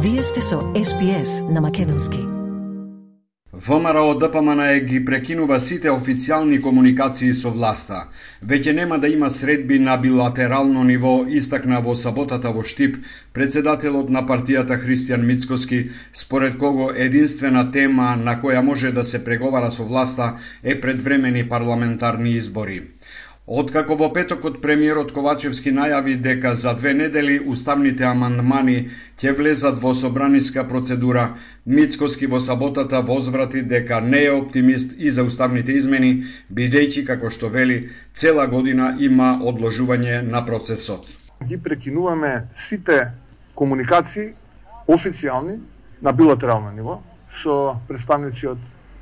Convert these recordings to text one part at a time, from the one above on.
Вие сте со SPS на македонски. ВМРО ДПМН ги прекинува сите официјални комуникации со власта. Веќе нема да има средби на билатерално ниво, истакна во саботата во Штип председателот на партијата Христијан Мицкоски, според кого единствена тема на која може да се преговара со власта е предвремени парламентарни избори. Откако во петокот премиерот Ковачевски најави дека за 2 недели уставните амандмани ќе влезат во собраниска процедура, Мицкоски во саботата возврати дека не е оптимист и за уставните измени, бидејќи, како што вели, цела година има одложување на процесот. Ги прекинуваме сите комуникации официјални на билатерално ниво со представници од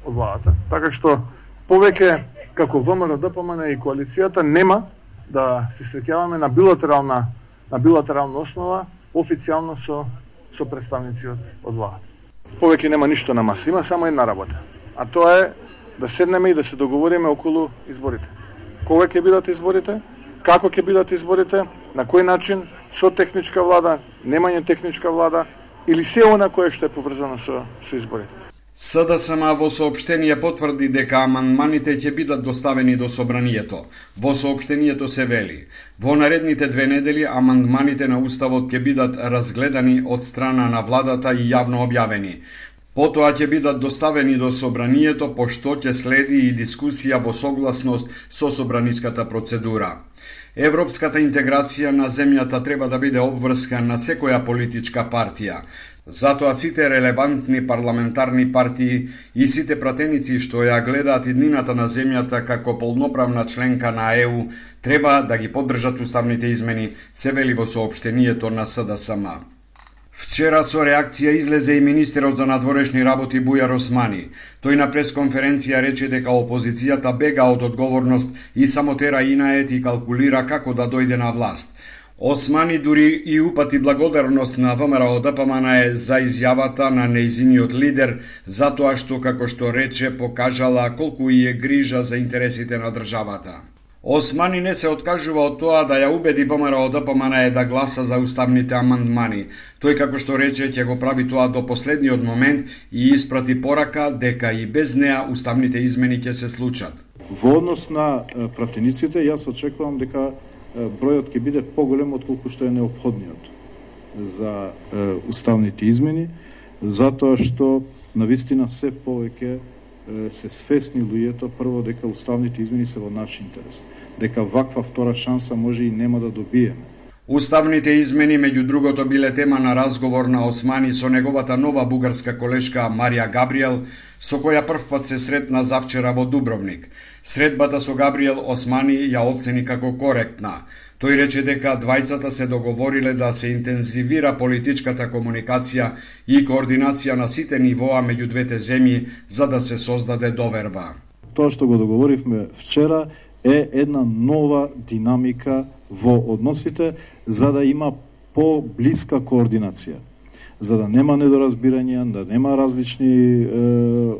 владата, така што повеќе како ВМРО ДПМН и коалицијата нема да се среќаваме на билатерална основа официјално со представници од владата. Повеќе нема ништо на маса, има само една работа, а тоа е да седнеме и да се договориме околу изборите. Кога ќе бидат изборите, како ќе бидат изборите, на кој начин, со техничка влада, немање техничка влада или се она кое што е поврзано со изборите. СДСМ во соопштение потврди дека амандманите ќе бидат доставени до собранието. Во соопштението се вели: во наредните 2 недели амандманите на уставот ќе бидат разгледани од страна на владата и јавно објавени. Потоа ќе бидат доставени до собранието, пошто ќе следи и дискусија во согласност со собраниската процедура. Европската интеграција на земјата треба да биде обврска на секоја политичка партија. Затоа сите релевантни парламентарни партии и сите пратеници што ја гледаат иднината на земјата како полноправна членка на ЕУ треба да ги поддржат уставните измени, се вели во соопштението на СДСМ. Вчера со реакција излезе и министерот за надворешни работи Бујар Османи. Тој на пресконференција рече дека опозицијата бега од одговорност и само тера инает и калкулира како да дојде на власт. Османи дури и упати благодарност на ВМРО ДПМН за изјавата на нејзиниот лидер, затоа што, како што рече, покажала колку и е грижа за интересите на државата. Османи не се откажува од тоа да ја убеди ВМРО ДПМН да гласа за уставните амандмани. Тој, како што рече, ќе го прави тоа до последниот момент и испрати порака дека и без неа уставните измени ќе се случат. Во однос на пратениците, јас очекувам дека бројот ќе биде поголем од колку што е неопходниот за уставните измени, затоа што навистина се повеќе се свесни луѓето прво дека уставните измени се во наш интерес, дека ваква втора шанса може и нема да добиеме. Уставните измени, меѓу другото, биле тема на разговор на Османи со неговата нова бугарска колешка Марија Габриел, со која првпат се сретна завчера во Дубровник. Средбата со Габриел Османи ја оцени како коректна. Тој рече дека двајцата се договориле да се интензивира политичката комуникација и координација на сите нивоа меѓу двете земји за да се создаде доверба. Тоа што го договоривме вчера е една нова динамика во односите за да има поблиска координација, за да нема недоразбирања, да нема различни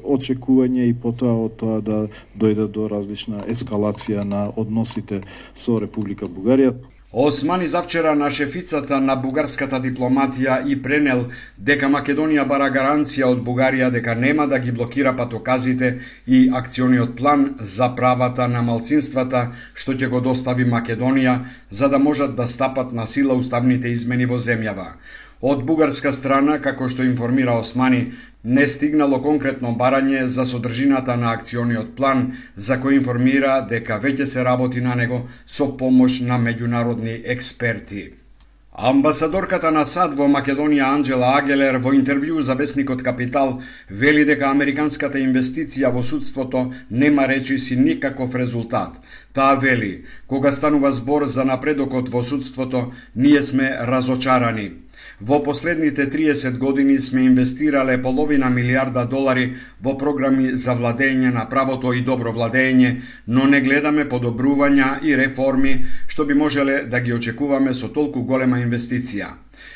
очекувања и потоа од тоа да дојде до различна ескалација на односите со Република Бугарија. Османи завчера на шефицата на бугарската дипломатија и пренел дека Македонија бара гаранција од Бугарија дека нема да ги блокира патоказите и акциониот план за правата на малцинствата што ќе го достави Македонија за да можат да стапат на сила уставните измени во земјава. Од бугарска страна, како што информира Османи, не стигнало конкретно барање за содржината на акциониот план, за кој информира дека веќе се работи на него со помош на меѓународни експерти. Амбасадорката на САД во Македонија Анџела Агелер во интервју за весникот Капитал вели дека американската инвестиција во судството нема речиси никаков резултат. Таа вели: кога станува збор за напредокот во судството, ние сме разочарани. Во последните 30 години сме инвестирале половина милиарда долари во програми за владење на правото и добро владење, но не гледаме подобрувања и реформи што би можеле да ги очекуваме со толку голема инвестиција.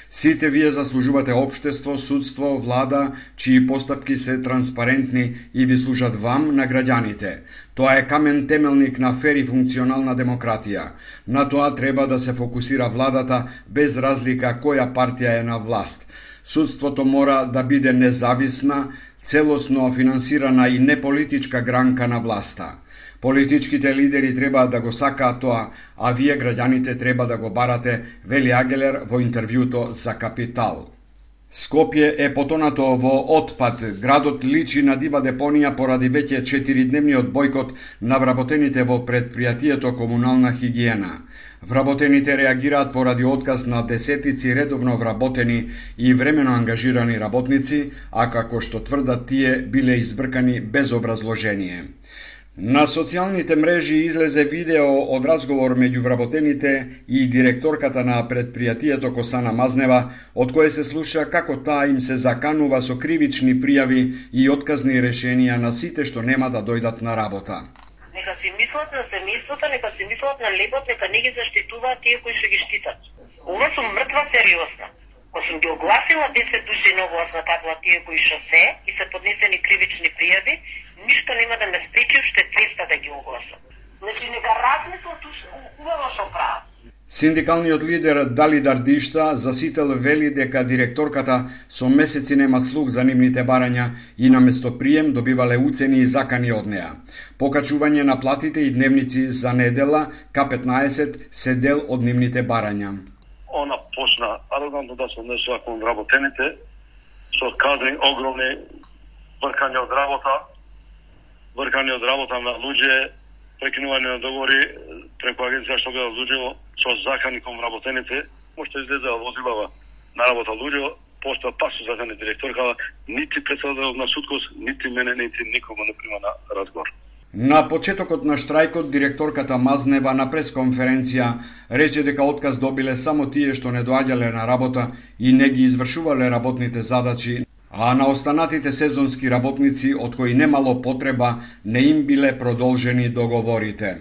Сите вие заслужувате општество, судство, влада, чии постапки се транспарентни и ви служат вам на граѓаните. Тоа е камен темелник на фер и функционална демократија. На тоа треба да се фокусира владата без разлика која партија е на власт. Судството мора да биде независна, целосно финансирана и неполитичка гранка на власта. Политичките лидери треба да го сакаат тоа, а вие граѓаните треба да го барате, вели Агелер во интервјуто за Капитал. Скопје е потонато во отпад. Градот личи на дива депонија поради веќе 4-дневниот бојкот на вработените во предпријатието комунална хигиена. Вработените реагираат поради отказ на десетици редовно вработени и времено ангажирани работници, а како што тврдат тие биле избркани без образложение. На социјалните мрежи излезе видео од разговор меѓу вработените и директорката на предпријатието Косана Мазнева, од кое се слуша како таа им се заканува со кривични пријави и отказни решенија на сите што нема да дојдат на работа. Нека си мислат на семејството, нека си мислат на лебот, нека не ги заштитуваат тие кои што ги штитат. Ова сум мртва сериозна. Кога сум ги огласила 10 души на огласна табла тие кои што се и се поднесени кривични пријави, ништо нема да ме спречи уште 200 да ги огласам. Значи нека размислат убаво што прават. Синдикалниот лидер Дали Дардишта засител вели дека директорката со месеци нема слух за нивните барања и наместо прием добивале уцени и закани од неа. Покачување на платите и дневници за недела, К15 се дел од нивните барања. Она почна арогантно да се однесува кон вработените, со кадри огромни вркање од работа на луѓе, прекинување на договори преку агенција што гледа луѓе со закани кон вработените, можете излезе возилава на работа луѓе, пошто пак со закани директорка, нити председател на судкос, нити мене, нити никого не прима на разговор. На почетокот на штрајкот, директорката Мазнева на пресконференција рече дека отказ добиле само тие што не доаѓале на работа и не ги извршувале работните задачи, а на останатите сезонски работници, од кои немало потреба, не им биле продолжени договорите.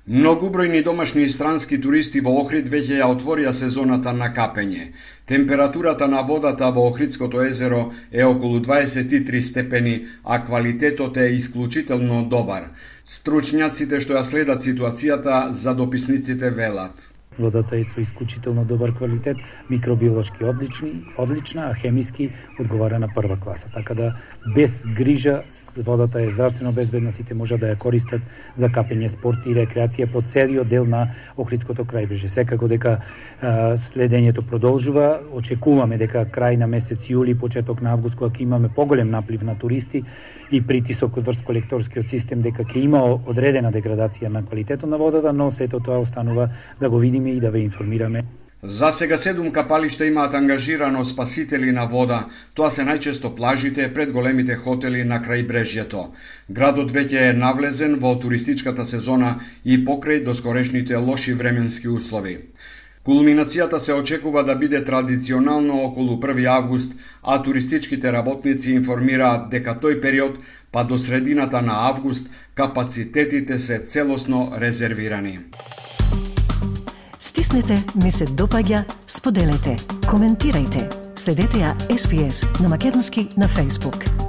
Многубројни домашни и странски туристи во Охрид веќе ја отворија сезоната на капење. Температурата на водата во Охридското езеро е околу 23 степени, а квалитетот е исклучително добар. Стручњаците што ја следат ситуацијата за дописниците велат. Водата е со исклучително добар квалитет, микробиолошки одлична, а хемиски одговара на прва класа. Така да без грижа водата е здравствено безбедна, сите можат да ја користат за капење, спорт и рекреација по целиот дел на Охридското крајбрежје. Секако дека следењето продолжува, очекуваме дека крај на месец јули, почеток на август, кога ќе имаме поголем наплив на туристи и притисок врз колекторскиот систем, дека ќе има одредена деградација на квалитетот на водата, но сето тоа останува да го видиме и да ве информираме. За сега 7 капалишта имаат ангажирано спасители на вода. Тоа се најчесто плажите пред големите хотели на крајбрежјето. Градот веќе е навлезен во туристичката сезона и покрај доскорешните лоши временски услови. Кулминацијата се очекува да биде традиционално околу 1 август, а туристичките работници информираат дека тој период, па до средината на август, капацитетите се целосно резервирани. Стиснете, ми се допаѓа, споделете, коментирајте. Следете ја SPS на Македонски на Facebook.